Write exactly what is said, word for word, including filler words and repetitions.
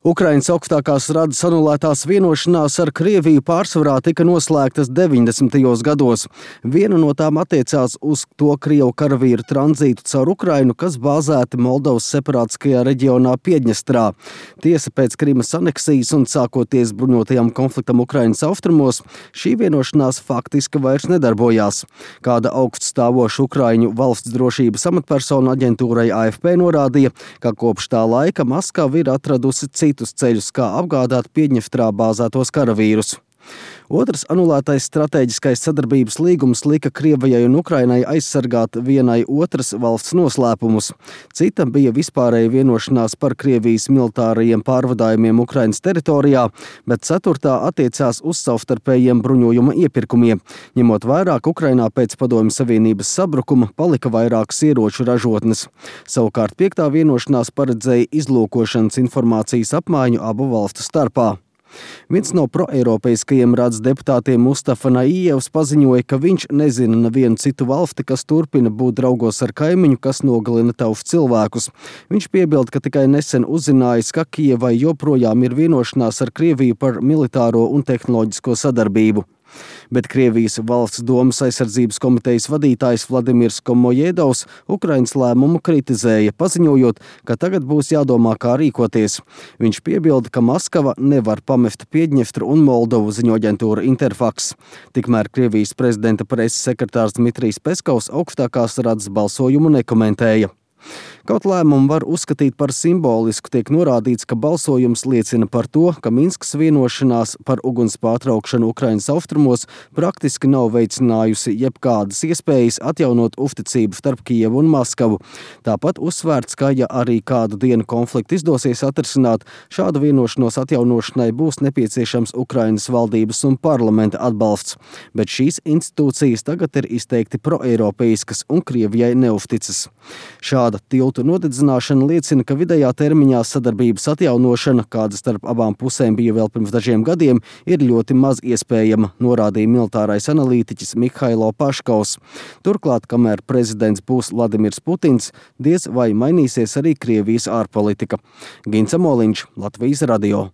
Ukrainas augstākās radas anulētās vienošanās ar Krieviju pārsvarā tika noslēgtas deviņdesmitajos gados. Viena no tām attiecās uz to krievu karavīru tranzītu caur Ukrainu, kas bāzēti Moldovas separātiskajā reģionā Piedņestrā. Tiesa pēc Krimas aneksijas un sākoties bruņotajam konfliktam Ukrainas austrumos, šī vienošanās faktiski vairs nedarbojās. Kāda augststāvoša Ukraiņu valsts drošības amatpersona aģentūrai A F P norādīja, ka kopš tā laika Maskava ir atradusi citus ceļus, kā apgādāt Piedņestrā bāzētos karavīrus. Otrs anulētais stratēģiskais sadarbības līgums lika Krievijai un Ukrainai aizsargāt vienai otras valsts noslēpumus. Cita bija vispārēja vienošanās par Krievijas militārajiem pārvadājumiem Ukrainas teritorijā, bet ceturtā attiecās uz savstarpējiem bruņojuma iepirkumiem. Ņemot vairāk, Ukrainā pēc Padomju Savienības sabrukuma palika vairākas ieroču ražotnes. Savukārt piektā vienošanās paredzēja izlūkošanas informācijas apmaiņu abu valstu starpā. Viens no proeiropeiskajiem radas deputātiem Mustafa Naijevs paziņoja, ka viņš nezina nevienu citu valsti, kas turpina būt draugos ar kaimiņu, kas nogalina tautus cilvēkus. Viņš piebilda, ka tikai nesen uzzinājis, ka Kijevai joprojām ir vienošanās ar Krieviju par militāro un tehnoloģisko sadarbību. Bet Krievijas valsts domas aizsardzības komitejas vadītājs Vladimirs Komojedovs Ukrainas lēmumu kritizēja, paziņojot, ka tagad būs jādomā, kā rīkoties. Viņš piebilda, ka Maskava nevar pamest Piedņestru un Moldovu, ziņo aģentūra Interfax. Tikmēr Krievijas prezidenta preses sekretārs Dmitrijs Peskovs augstākās radas balsojumu nekomentēja. Kaut lēmumu var uzskatīt par simbolisku, tiek norādīts, ka balsojums liecina par to, ka Minskas vienošanās par uguns pārtraukšanu Ukrainas austrumos praktiski nav veicinājusi jebkādas iespējas atjaunot uzticību starp Kijevu un Maskavu. Tāpat uzsvērts, ka ja arī kādu dienu konfliktu izdosies atrisināt, šādu vienošanos atjaunošanai būs nepieciešams Ukrainas valdības un parlamenta atbalsts. Bet šīs institūcijas tagad ir izteikti proeiropeiskas un Krievijai neuzticas. Šāda tiltu nodedzināšana liecina, ka vidējā termiņā sadarbības atjaunošana, kāda starp abām pusēm bija vēl pirms dažiem gadiem, ir ļoti maz iespējama, norādīja militārais analītiķis Mihailo Paškovs. Turklāt, kamēr prezidents būs Vladimirs Putins, diez vai mainīsies arī Krievijas ārpolitika. Gints Amoliņš, Latvijas radio.